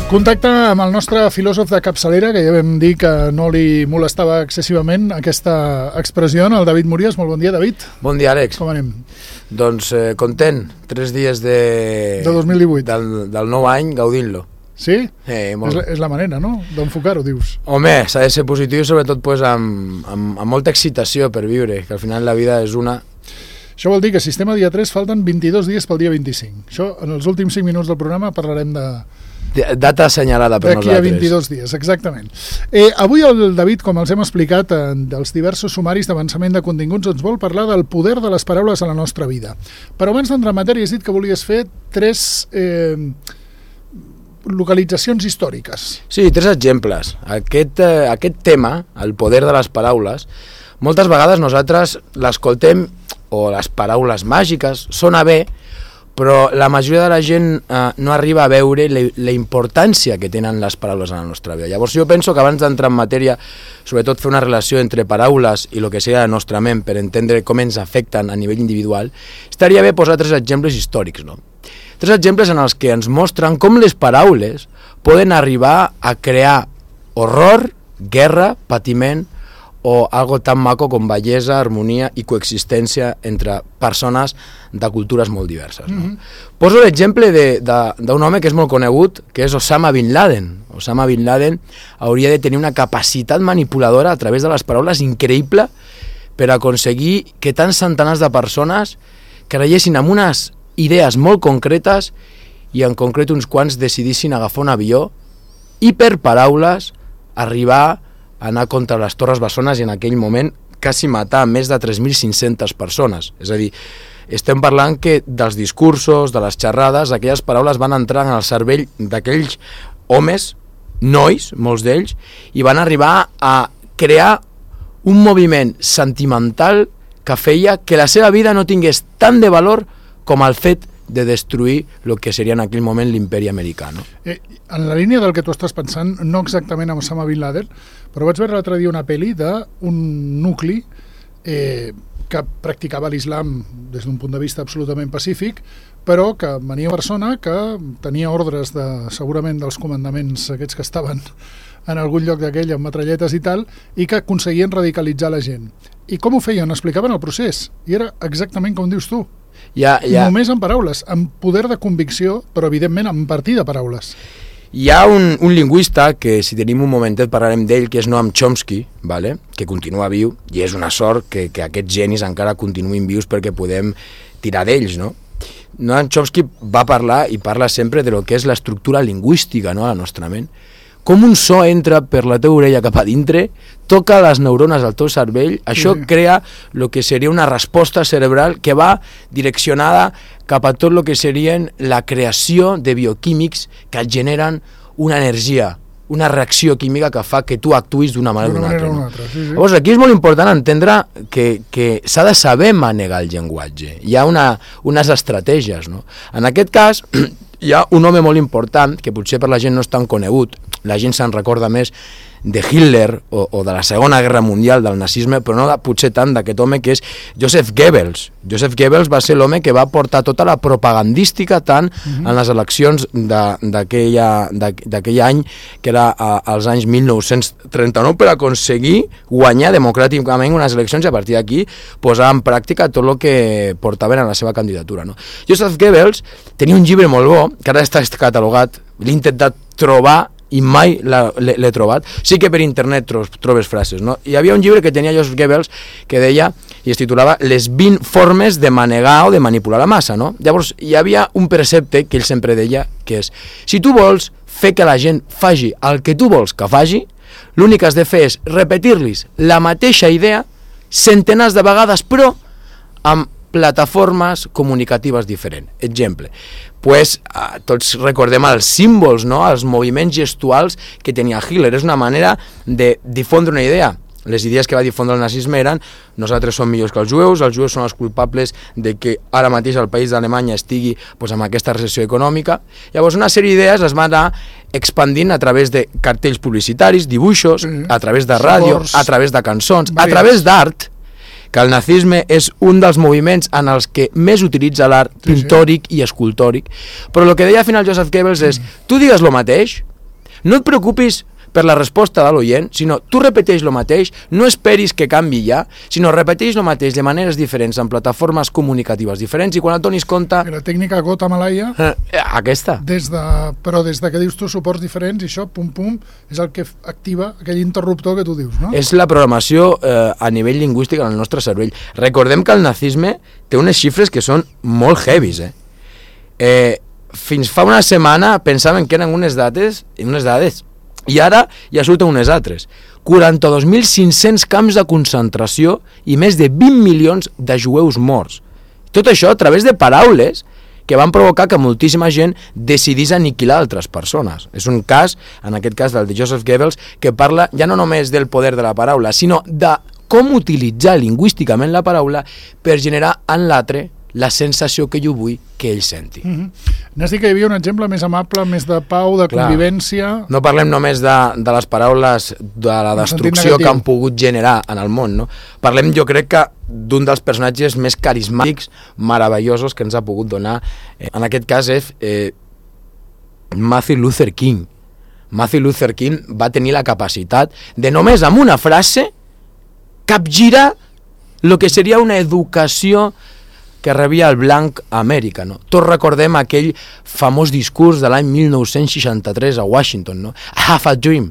Contacte amb el nostre filòsof de capçalera, que ja vam dir que no li molestava excessivament aquesta expressió, el David Murias. Molt bon dia, David. Bon dia, Àlex. Com anem? Doncs content, 3 dies de 2018. Del nou any, gaudint-lo. Sí? Molt. És la manera, no?, d'enfocar-ho, dius. Home, s'ha de ser positiu, sobretot pues, amb molta excitació per viure, que al final la vida és una... Això vol dir que Sistema dia 3 falten 22 dies pel dia 25. Això, en els últims 5 minuts del programa parlarem de... Data assenyalada per nosaltres. D'aquí a 22 dies, exactament. Avui el David, com els hem explicat dels diversos sumaris d'avançament de continguts, ens vol parlar del poder de les paraules a la nostra vida. Però abans d'entrar en matèria has dit que volies fer 3 localitzacions històriques. Sí, 3 exemples. Aquest tema, el poder de les paraules, moltes vegades nosaltres l'escoltem, o les paraules màgiques, sona bé, però la majoria de la gent no arriba a veure la importància que tenen les paraules en la nostra vida. Llavors jo penso que abans d'entrar en matèria, sobretot fer una relació entre paraules i el que seria la nostra ment per entendre com ens afecten a nivell individual, estaria bé posar 3 exemples històrics, no? 3 exemples en els que ens mostren com les paraules poden arribar a crear horror, guerra, patiment, o algo tan maco com bellesa, harmonia i coexistència entre persones de cultures molt diverses. No? Poso l'exemple d'un home que és molt conegut, que és Osama Bin Laden. Osama Bin Laden hauria de tenir una capacitat manipuladora a través de les paraules increïble per aconseguir que tants centenars de persones creiessin en unes idees molt concretes i en concret uns quants decidissin agafar un avió i per paraules arribar anar contra les Torres Bessones i en aquell moment quasi matar més de 3.500 persones. És a dir, estem parlant que dels discursos, de les xerrades, aquelles paraules van entrar en el cervell d'aquells homes, nois, molts d'ells, i van arribar a crear un moviment sentimental que feia que la seva vida no tingués tant de valor com el fet de destruir el que seria en aquell moment l'imperi americà. No? En la línia del que tu estàs pensant, no exactament amb Osama Bin Laden, però vaig veure l'altre dia una pel·li d'un nucli que practicava l'islam des d'un punt de vista absolutament pacífic, però que venia una persona que tenia ordres segurament dels comandaments aquests que estaven en algun lloc d'aquell amb metralletes i tal, i que aconseguien radicalitzar la gent. I com ho feien? Explicaven el procés, i era exactament com dius tu. Només amb paraules, amb poder de convicció, però evidentment amb partir de paraules. Hi ha un lingüista que, si tenim un momentet, parlarem d'ell, que és Noam Chomsky, vale? Que continua viu, i és una sort que aquests genis encara continuïn vius perquè podem tirar d'ells, no? Noam Chomsky va parlar i parla sempre de lo que és l'estructura lingüística, no?, a la nostra ment. Com un so entra per la teva orella cap a dintre, toca les neurones del teu cervell, això crea el que seria una resposta cerebral que va direccionada cap a tot el que serien la creació de bioquímics que et generen una energia, una reacció química que fa que tu actuïs d'una manera o d'una altra. No? Sí. Llavors, aquí és molt important entendre que s'ha de saber manegar el llenguatge. Hi ha unes estratègies. No? En aquest cas, hi ha un home molt important, que potser per la gent no és tan conegut, la gent se'n recorda més de Hitler o de la Segona Guerra Mundial, del nazisme, però no potser tant d'aquest home que és Joseph Goebbels. Joseph Goebbels va ser l'home que va portar tota la propagandística tant en les eleccions d'aquell any, que era als anys 1939, per aconseguir guanyar democràticament unes eleccions i a partir d'aquí posar en pràctica tot el que portaven a la seva candidatura. No? Joseph Goebbels tenia un llibre molt bo, que ara està catalogat, l'he intentat trobar i mai l'he trobat. Sí que per internet trobes frases, no? Hi havia un llibre que tenia Joseph Goebbels que deia, i es titulava Les 20 formes de manegar o de manipular la massa, no? Llavors hi havia un precepte que ell sempre deia, que és, si tu vols fer que la gent faci el que tu vols que faci, l'únic que has de fer és repetir-los la mateixa idea centenars de vegades, però amb plataformes comunicatives diferents. Exemple, tots recordem els símbols, no? Els moviments gestuals que tenia Hitler. És una manera de difondre una idea. Les idees que va difondre el nazisme eren nosaltres som millors que els jueus són els culpables de que ara mateix el país d'Alemanya estigui amb aquesta recessió econòmica. Llavors una sèrie d'idees es van anar expandint a través de cartells publicitaris, dibuixos, a través de ràdio, a través de cançons, a través d'art, que el nazisme és un dels moviments en els que més utilitza l'art pictòric i escultòric, però el que deia al final Joseph Goebbels és, tu digues el mateix, no et preocupis per la resposta de l'oient, sinó tu repeteix el mateix, no esperis que canvi ja, sinó repeteix el mateix de maneres diferents, en plataformes comunicatives diferents, i quan et donis compte... La tècnica gota malaia... Aquesta. Però des de que dius tu suports diferents, i això, pum, pum, és el que activa aquell interruptor que tu dius, no? És la programació a nivell lingüístic en el nostre cervell. Recordem que el nazisme té unes xifres que són molt heavies, fins fa una setmana pensaven que eren unes dades, i ara ja surten unes altres. 42.500 camps de concentració i més de 20 milions de jueus morts. Tot això a través de paraules que van provocar que moltíssima gent decidís aniquilar altres persones. És un cas, en aquest cas del de Joseph Goebbels, que parla ja no només del poder de la paraula, sinó de com utilitzar lingüísticament la paraula per generar en l'altre la sensació que jo vull que ell senti. N'has dit que hi havia un exemple més amable, més de pau, de convivència... No parlem només de les paraules de la destrucció que han pogut generar en el món, no? Parlem, jo crec que, d'un dels personatges més carismàtics, meravellosos que ens ha pogut donar. En aquest cas és Martin Luther King. Martin Luther King va tenir la capacitat de només amb una frase capgirar el que seria una educació que rebia el blanc a Amèrica, no? Tots recordem aquell famós discurs de l'any 1963 a Washington, no? I have a dream.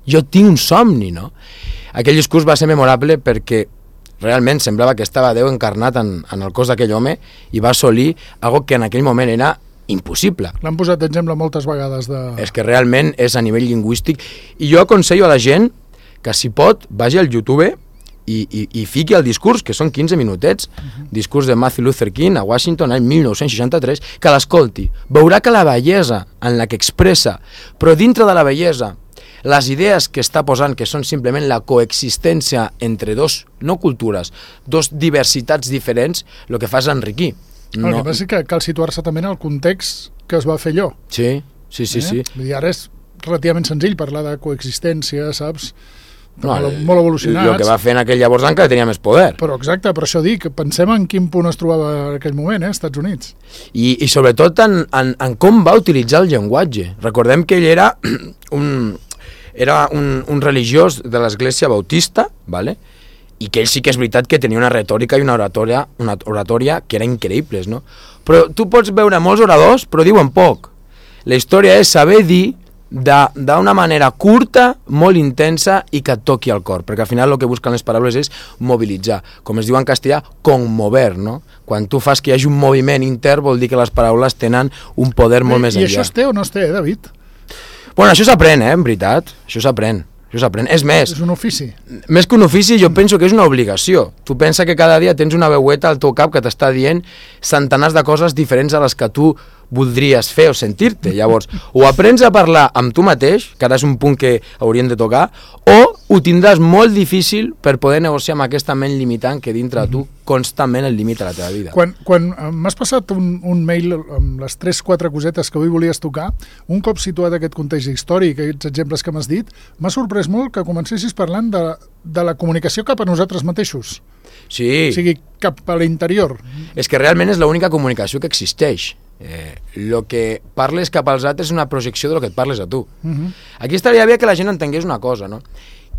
Jo tinc un somni, no? Aquell discurs va ser memorable perquè realment semblava que estava Déu encarnat en el cos d'aquell home i va assolir algo que en aquell moment era impossible. L'han posat d'exemple moltes vegades. És que realment és a nivell lingüístic. I jo aconsello a la gent que, si pot, vagi al YouTube i fiqui el discurs, que són 15 minutets, discurs de Martin Luther King a Washington l'any 1963, que l'escolti. Veurà que la bellesa en la que expressa, però dintre de la bellesa, les idees que està posant, que són simplement la coexistència entre dos, no cultures, dos diversitats diferents, el que fa és enriquir. El que passa és que cal situar-se també en el context que es va fer allò. Sí. Vull dir, ara és relativament senzill parlar de coexistència, saps? Molt evolucionats. El que va fer en aquell llavors encara tenia més poder. Però exacte, per això dic, pensem en quin punt es trobava en aquell moment, Estats Units. I sobretot en com va utilitzar el llenguatge. Recordem que ell era un religiós de l'església bautista, ¿vale? I que ell sí que és veritat que tenia una retòrica i una oratòria que eren increïbles, no? Però tu pots veure molts oradors, però diuen poc. La història és saber dir d'una manera curta, molt intensa i que et toqui al cor, perquè al final el que busquen les paraules és mobilitzar, com es diu en castellà, conmover, no? Quan tu fas que hi hagi un moviment intern vol dir que les paraules tenen un poder molt més enllà. I això es té o no es té, David? Bueno, això s'aprèn, en veritat, això s'aprèn. És més... És un ofici. Més que un ofici, jo penso que és una obligació. Tu pensa que cada dia tens una veueta al teu cap que t'està dient centenars de coses diferents a les que tu voldries fer o sentir-te. Llavors, o aprens a parlar amb tu mateix, que ara és un punt que hauríem de tocar, o ho tindràs molt difícil per poder negociar amb aquesta ment limitant que dintre de tu constantment el limita la teva vida. Quan m'has passat un mail amb les 3-4 cosetes que avui volies tocar, un cop situat aquest context històric, aquests exemples que m'has dit, m'ha sorprès molt que comencessis parlant de la comunicació cap a nosaltres mateixos. Sí. O sigui, cap a l'interior. És que realment és l'única comunicació que existeix. El que parles cap als altres és una projecció del que et parles a tu. Aquí estaria bé que la gent entengués una cosa, no?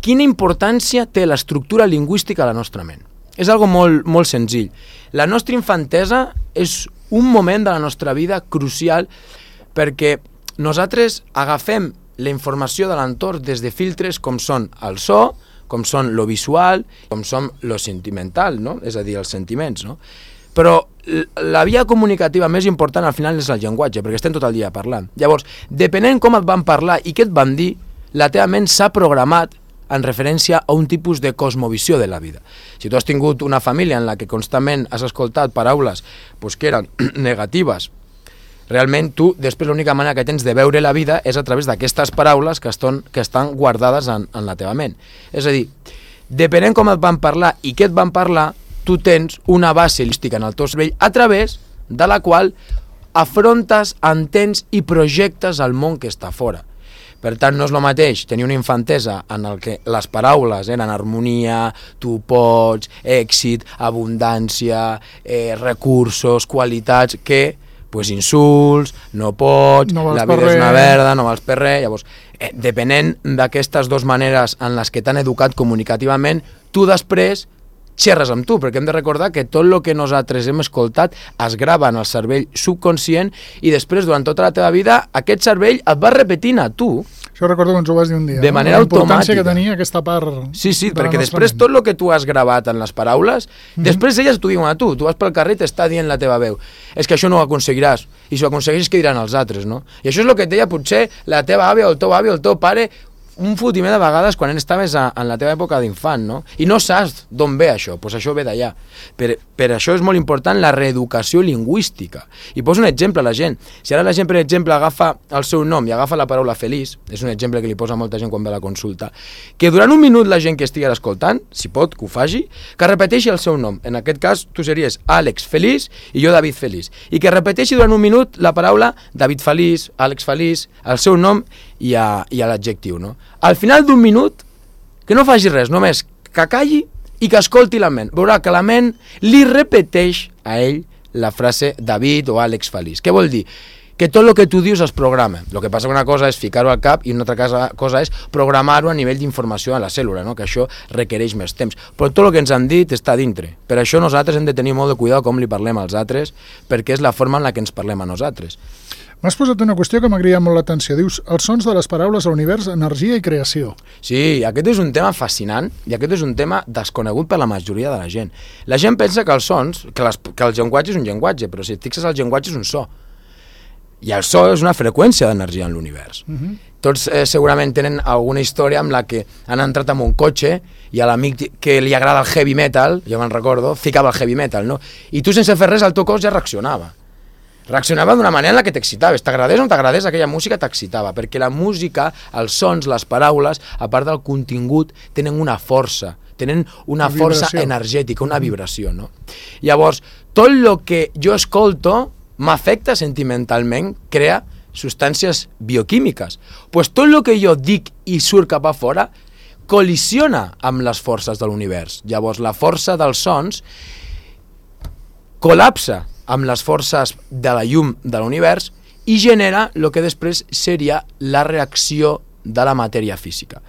Quina importància té l'estructura lingüística a la nostra ment? És algo molt, molt senzill. La nostra infantesa és un moment de la nostra vida crucial perquè nosaltres agafem la informació de l'entorn des de filtres com són el so, com són lo visual, com són lo sentimental, no? És a dir, els sentiments, no? Però la via comunicativa més important al final és el llenguatge, perquè estem tot el dia parlant. Llavors, depenent com et van parlar i què et van dir, la teva ment s'ha programat en referència a un tipus de cosmovisió de la vida. Si tu has tingut una família en la que constantment has escoltat paraules que eren negatives, realment tu, després l'única manera que tens de veure la vida és a través d'aquestes paraules que estan guardades en la teva ment. És a dir, depenent com et van parlar i què et van parlar, tu tens una base lingüística en el teu cervell a través de la qual afrontes, entens i projectes el món que està fora. Per tant, no és el mateix tenir una infantesa en el que les paraules eren harmonia, tu pots, èxit, abundància, recursos, qualitats, que pues insults, no pots, no la vida és una verda, no vals per res. Llavors, depenent d'aquestes dues maneres en les que t'han educat comunicativament, tu després xerres amb tu, perquè hem de recordar que tot el que nosaltres hem escoltat es grava en el cervell subconscient i després, durant tota la teva vida, aquest cervell et va repetint a tu. Això recordo que ens ho vas dir un dia. De manera automàtica. La importància que tenia aquesta part... Sí, perquè després tot el que tu has gravat en les paraules, després elles t'ho diuen a tu. Tu vas pel carrer i t'està dient la teva veu. És que això no ho aconseguiràs. I si ho aconsegueixes, què diran els altres, no? I això és el que et deia potser la teva àvia o el teu avi o el teu pare un fotimer de vegades quan estaves en la teva època d'infant, no? I no saps d'on ve això, doncs això ve d'allà. Per això és molt important la reeducació lingüística. I poso un exemple a la gent. Si ara la gent, per exemple, agafa el seu nom i agafa la paraula feliç, és un exemple que li posa molta gent quan ve a la consulta, que durant un minut la gent que estigui escoltant, si pot, que ho faci, que repeteixi el seu nom. En aquest cas, tu series Àlex Feliç i jo David Feliç. I que repeteixi durant un minut la paraula David Feliç, Àlex Feliç, el seu nom i a l'adjectiu, no? Al final d'un minut, que no faci res, només que calli i que escolti la ment. Veurà que la ment li repeteix a ell la frase David o Àlex Feliç. Què vol dir? Que tot el que tu dius es programa. El que passa que una cosa és ficar-ho al cap i una altra cosa és programar-ho a nivell d'informació a la cèl·lula, no? Que això requereix més temps. Però tot el que ens han dit està dintre. Per això nosaltres hem de tenir molt de cuidado com li parlem als altres, perquè és la forma en la que ens parlem a nosaltres. M'has posat una qüestió que m'ha cridat molt l'atenció. Dius, els sons de les paraules a l'univers, energia i creació. Sí, aquest és un tema fascinant i aquest és un tema desconegut per la majoria de la gent. La gent pensa que els sons, que el llenguatge és un llenguatge, però si et fixes el llenguatge és un so. I el so és una freqüència d'energia en l'univers. Tots segurament tenen alguna història amb la que han entrat en un cotxe i a l'amic que li agrada el heavy metal, jo me'n recordo, ficava el heavy metal, no? I tu sense fer res el teu cos ja reaccionava. Reaccionava d'una manera en la que t'excitaves. T'agradés o no t'agradés, aquella música t'excitava, perquè la música, els sons, les paraules, a part del contingut, tenen una força, tenen una força energètica, una vibració, no? Llavors, tot el que jo escolto m'afecta sentimentalment, crea substàncies bioquímiques. Pues tot el que jo dic i surt cap a fora col·lisiona amb les forces de l'univers. Llavors, la força dels sons col·lapsa amb les forces de la llum de l'univers i genera el que després seria la reacció de la matèria física.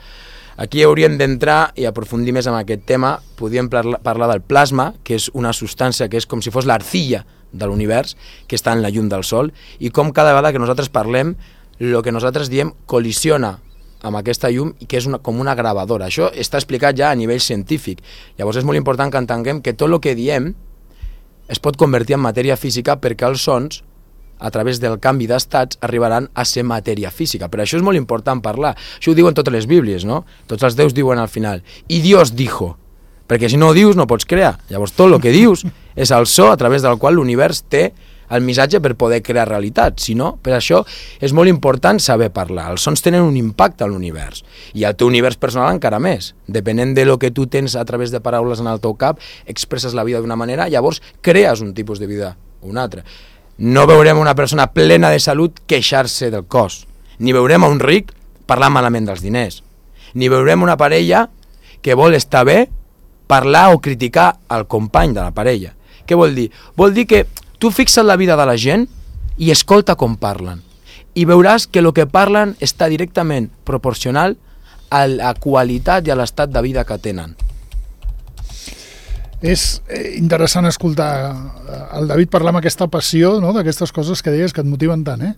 Aquí hauríem d'entrar i aprofundir més en aquest tema. Podríem parlar del plasma, que és una substància que és com si fos l'arcilla de l'univers, que està en la llum del sol, i com cada vegada que nosaltres parlem, el que nosaltres diem col·lisiona amb aquesta llum, que és com una gravadora. Això està explicat ja a nivell científic. Llavors és molt important que entenguem que tot el que diem es pot convertir en matèria física perquè els sons, a través del canvi d'estats, arribaran a ser matèria física. Per això és molt important parlar. Això ho diuen totes les bíblies, no? Tots els déus diuen al final, i Dios dijo, perquè si no ho dius no pots crear. Llavors tot el que dius és el so a través del qual l'univers té el missatge per poder crear realitat. Si no, per això és molt important saber parlar. Els sons tenen un impacte a l'univers. I al teu univers personal encara més. Depenent de lo que tu tens a través de paraules en el teu cap, expresses la vida d'una manera, llavors crees un tipus de vida o un altre. No veurem una persona plena de salut queixar-se del cos. Ni veurem un ric parlar malament dels diners. Ni veurem una parella que vol estar bé parlar o criticar el company de la parella. Què vol dir? Vol dir que tu fixes la vida de la gent i escolta com parlen. I veuràs que el que parlen està directament proporcional a la qualitat i a l'estat de vida que tenen. És interessant escoltar el David parlar amb aquesta passió, no?, d'aquestes coses que deies que et motiven tant, eh?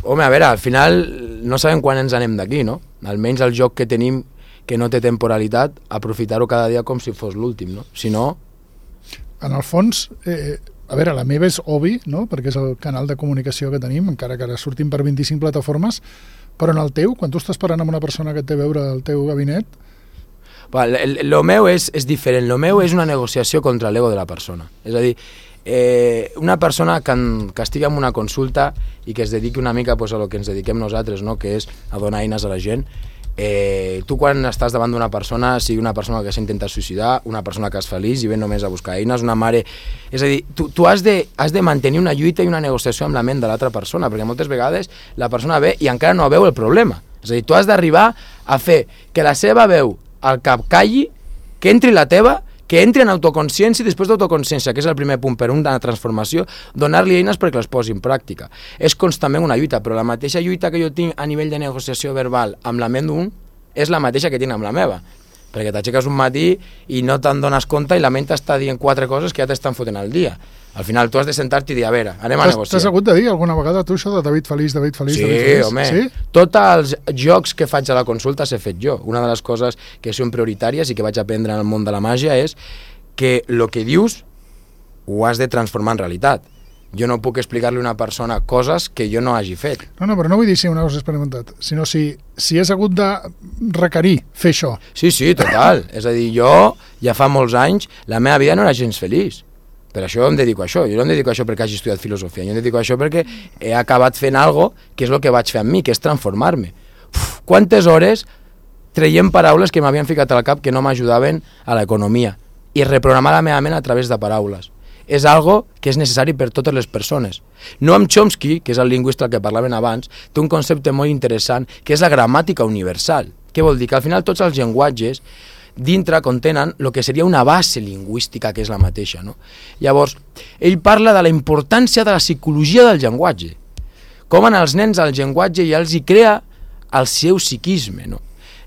Home, a veure, al final no sabem quan ens anem d'aquí, no? Almenys el joc que tenim, que no té temporalitat, aprofitar-ho cada dia com si fos l'últim, no? Si no... En el fons... A veure, la meva és Obi, no?, perquè és el canal de comunicació que tenim, encara que ara sortim per 25 plataformes, però en el teu, quan tu estàs parlant amb una persona que et té a veure al teu gabinet... El meu és diferent, el meu és una negociació contra l'ego de la persona. És a dir, una persona que estigui en una consulta i que es dediqui una mica pues, a lo que ens dediquem nosaltres, no?, que és a donar eines a la gent. Tu quan estàs davant d'una persona, sigui una persona que s'ha intentat suïcidar, una persona que és feliç i ve només a buscar eines, una mare... És a dir, tu has de mantenir una lluita i una negociació amb la ment de l'altra persona, perquè moltes vegades la persona ve i encara no veu el problema. És a dir, tu has d'arribar a fer que la seva veu al cap calli, que entri la teva, que entri en autoconsciència i després d'autoconsciència, que és el primer punt per una transformació, donar-li eines perquè les posi en pràctica. És constantment una lluita, però la mateixa lluita que jo tinc a nivell de negociació verbal amb la ment d'un és la mateixa que tinc amb la meva. Perquè t'aixeques un matí i no te'n dones compte i la ment t'està dient 4 coses que ja t'estan fotent al dia. Al final tu has de sentar-te i dir, a veure, anem a negociar. T'has hagut de dir alguna vegada tu això de David Feliç, David Feliç, sí, David Feliç? Home, sí, home. Tots els jocs que faig a la consulta s'he fet jo. Una de les coses que són prioritàries i que vaig aprendre en el món de la màgia és que el que dius ho has de transformar en realitat. Jo no puc explicar-li a una persona coses que jo no hagi fet. No, però no vull dir si una cosa experimentat, sinó si has hagut de requerir fer això. Sí, total. És a dir, jo ja fa molts anys la meva vida no era gens feliç. Per això em dedico a això. Jo no em dedico a això perquè hagi estudiat filosofia. Jo em dedico a això perquè he acabat fent algo que és el que vaig fer amb mi, que és transformar-me. Quantes hores traient paraules que m'havien ficat al cap que no m'ajudaven a l'economia i reprogramar la meva ment a través de paraules. És algo que és necessari per totes les persones. Noam Chomsky, que és el lingüista del que parlaven abans, té un concepte molt interessant, que és la gramàtica universal. Què vol dir? Que al final tots els llenguatges dintre contenen el que seria una base lingüística que és la mateixa. No? Llavors, ell parla de la importància de la psicologia del llenguatge. Com en els nens el llenguatge ja els hi crea el seu psiquisme. No?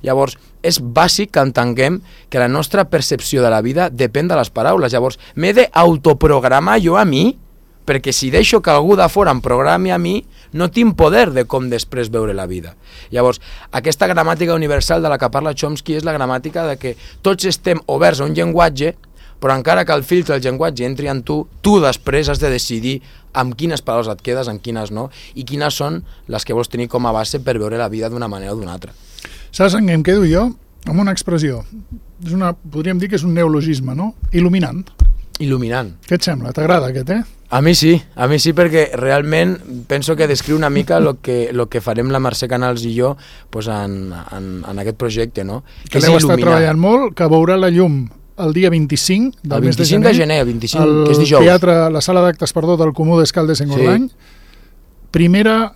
Llavors, és bàsic que entenguem que la nostra percepció de la vida depèn de les paraules. Llavors, m'he d'autoprogramar jo a mi, perquè si deixo que algú de fora em programi a mi, no tinc poder de com després veure la vida. Llavors, aquesta gramàtica universal de la que parla Chomsky és la gramàtica de que tots estem oberts a un llenguatge, però encara que el filtre del llenguatge entri en tu, tu després has de decidir amb quines paraules et quedes, amb quines no, i quines són les que vols tenir com a base per veure la vida d'una manera o d'una altra. Saps en què em quedo jo? Amb una expressió. Podríem dir que és un neologisme, no? Il·luminant. Il·luminant. Què et sembla? T'agrada aquest, A mi sí, perquè realment penso que descriu una mica el que farem la Mercè Canals i jo pues, en aquest projecte, no? Que l'heu estat treballant molt, que veurà la llum el dia 25 del mes de gener. El 25 de gener, el 25, que és dijous. Teatre, la sala d'actes, del Comú d'Escaldes-Engordany. Sí. Primera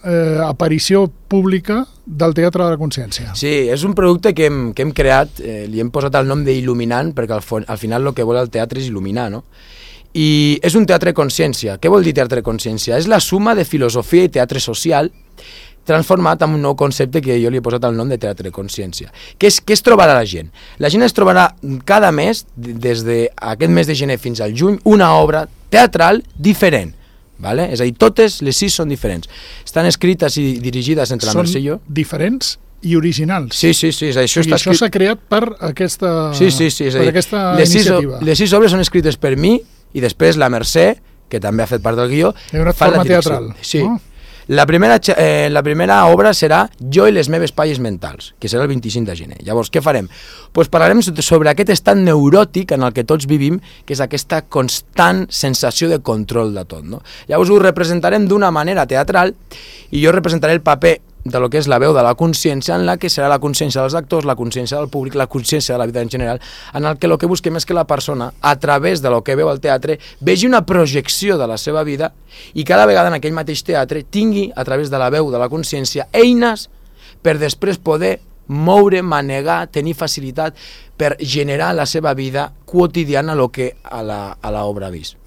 aparició pública del Teatre de la Consciència. Sí, és un producte que hem creat, li hem posat el nom d'il·luminant, perquè al final el que vol el teatre és il·luminar, no? I és un teatre consciència. Què vol dir teatre consciència? És la suma de filosofia i teatre social transformat en un nou concepte que jo li he posat el nom de teatre consciència. Què es trobarà la gent? La gent es trobarà cada mes, des d'aquest mes de gener fins al juny, una obra teatral diferent. Vale? És a dir, totes les 6 són diferents. Estan escrites i dirigides entre la Mercè i jo. Són diferents i originals. Sí, això s'ha creat per aquesta, per aquesta iniciativa. Les 6 obres són escrites per mi i després la Mercè, que també ha fet part del guió, fa la direcció. Teatral. Sí. Oh. La primera obra serà Jo i les meves palles mentals, que serà el 25 de gener. Llavors, què farem? Pues parlarem sobre aquest estat neuròtic en el que tots vivim, que és aquesta constant sensació de control de tot. No? Llavors ho representarem d'una manera teatral i jo representaré el paper de lo que és la veu de la consciència, en la que serà la consciència dels actors, la consciència del públic, la consciència de la vida en general, en el que busquem és que la persona, a través de lo que veu al teatre, vegi una projecció de la seva vida i cada vegada en aquell mateix teatre tingui, a través de la veu de la consciència, eines per després poder moure, manegar, tenir facilitat per generar la seva vida quotidiana a l'obra ha vist.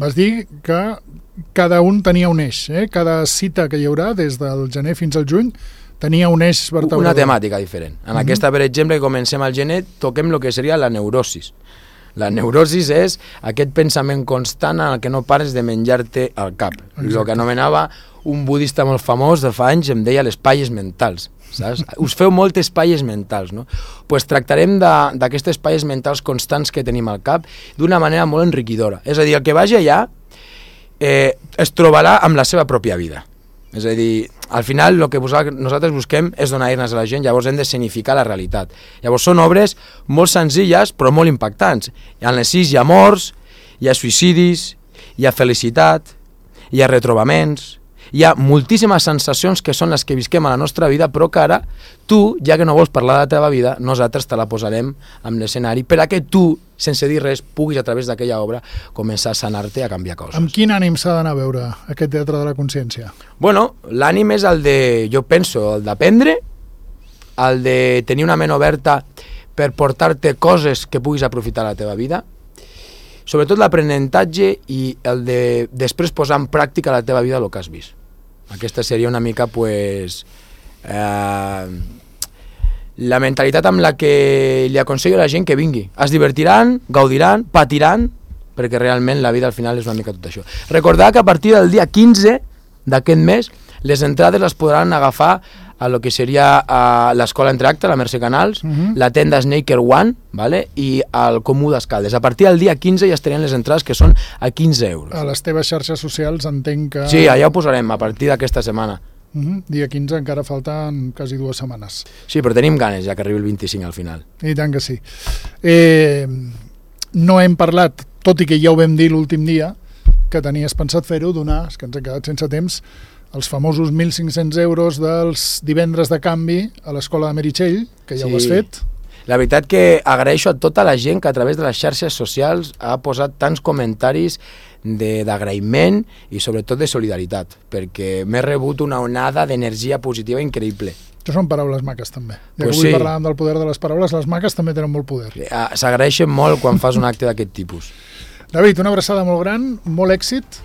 Vas dir que cada un tenia un eix, cada cita que hi haurà des del gener fins al juny tenia un eix vertebrador. Una temàtica diferent. En aquesta, per exemple, que comencem al gener, toquem el que seria la neurosis. La neurosis és aquest pensament constant en el que no pares de menjar-te al cap. El que anomenava un budista molt famós de fa anys, em deia les palles mentals. Saps? Us feu moltes palles mentals, no? Pues tractarem d'aquestes palles mentals constants que tenim al cap d'una manera molt enriquidora. És a dir, el que vagi allà es trobarà amb la seva pròpia vida. És a dir, al final el que nosaltres busquem és donar eines a la gent, llavors hem de significar la realitat. Llavors són obres molt senzilles però molt impactants. En les 6 hi ha morts, hi ha suïcidis, hi ha felicitat, hi ha retrobaments, hi ha moltíssimes sensacions que són les que visquem a la nostra vida, però que ara tu, ja que no vols parlar de la teva vida, nosaltres te la posarem en l'escenari per a que tu, sense dir res, puguis a través d'aquella obra començar a sanar-te, a canviar coses. Amb quin ànim s'ha d'anar a veure aquest Teatre de la Consciència? Bueno, l'ànim és el de, jo penso, el d'aprendre, el de tenir una ment oberta per portar-te coses que puguis aprofitar a la teva vida, sobretot l'aprenentatge i el de després posar en pràctica a la teva vida el que has vist. Aquesta seria una mica la mentalitat amb la que li aconsello a la gent que vingui. Es divertiran, gaudiran, patiran, perquè realment la vida al final és una mica tot això. Recordar que a partir del dia 15 d'aquest mes les entrades les podran agafar a lo que seria l'Escola Entracte, la Mercè Canals, la tenda Snaker One, ¿vale? I el Comú d'Escaldes. A partir del dia 15 ja estarien les entrades, que són a 15 euros. A les teves xarxes socials entenc que... Sí, allà ho posarem a partir d'aquesta setmana. Dia 15 encara falten quasi 2 setmanes. Sí, però tenim ganes ja que arribi el 25 al final. I tant que sí. No hem parlat, tot i que ja ho vam dir l'últim dia, que tenies pensat fer-ho, donar, és que ens hem quedat sense temps, els famosos 1.500 euros dels divendres de canvi a l'Escola de Meritxell, que ja ho has fet. La veritat que agraeixo a tota la gent que a través de les xarxes socials ha posat tants comentaris d'agraïment i sobretot de solidaritat, perquè m'he rebut una onada d'energia positiva increïble. Això són paraules maques, també. Ja Pues que avui sí. parlàvem del poder de les paraules, les maques també tenen molt poder. S'agraeixen molt quan fas un acte d'aquest tipus. David, una abraçada molt gran, molt èxit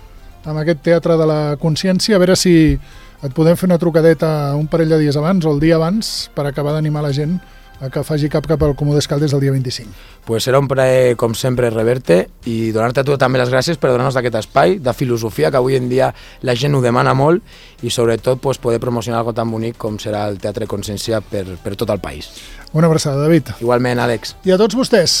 amb aquest Teatre de la Consciència. A veure si et podem fer una trucadeta un parell de dies abans o el dia abans per acabar d'animar la gent a que faci cap al Comú d'Escaldes el dia 25. Pues serà un plaer, com sempre, rebre-te i donar-te a tu també les gràcies per donar-nos aquest espai de filosofia que avui en dia la gent ho demana molt i sobretot pues, poder promocionar algo tan bonic com serà el Teatre Consciència per tot el país. Una abraçada, David. Igualment, Àlex. I a tots vostès,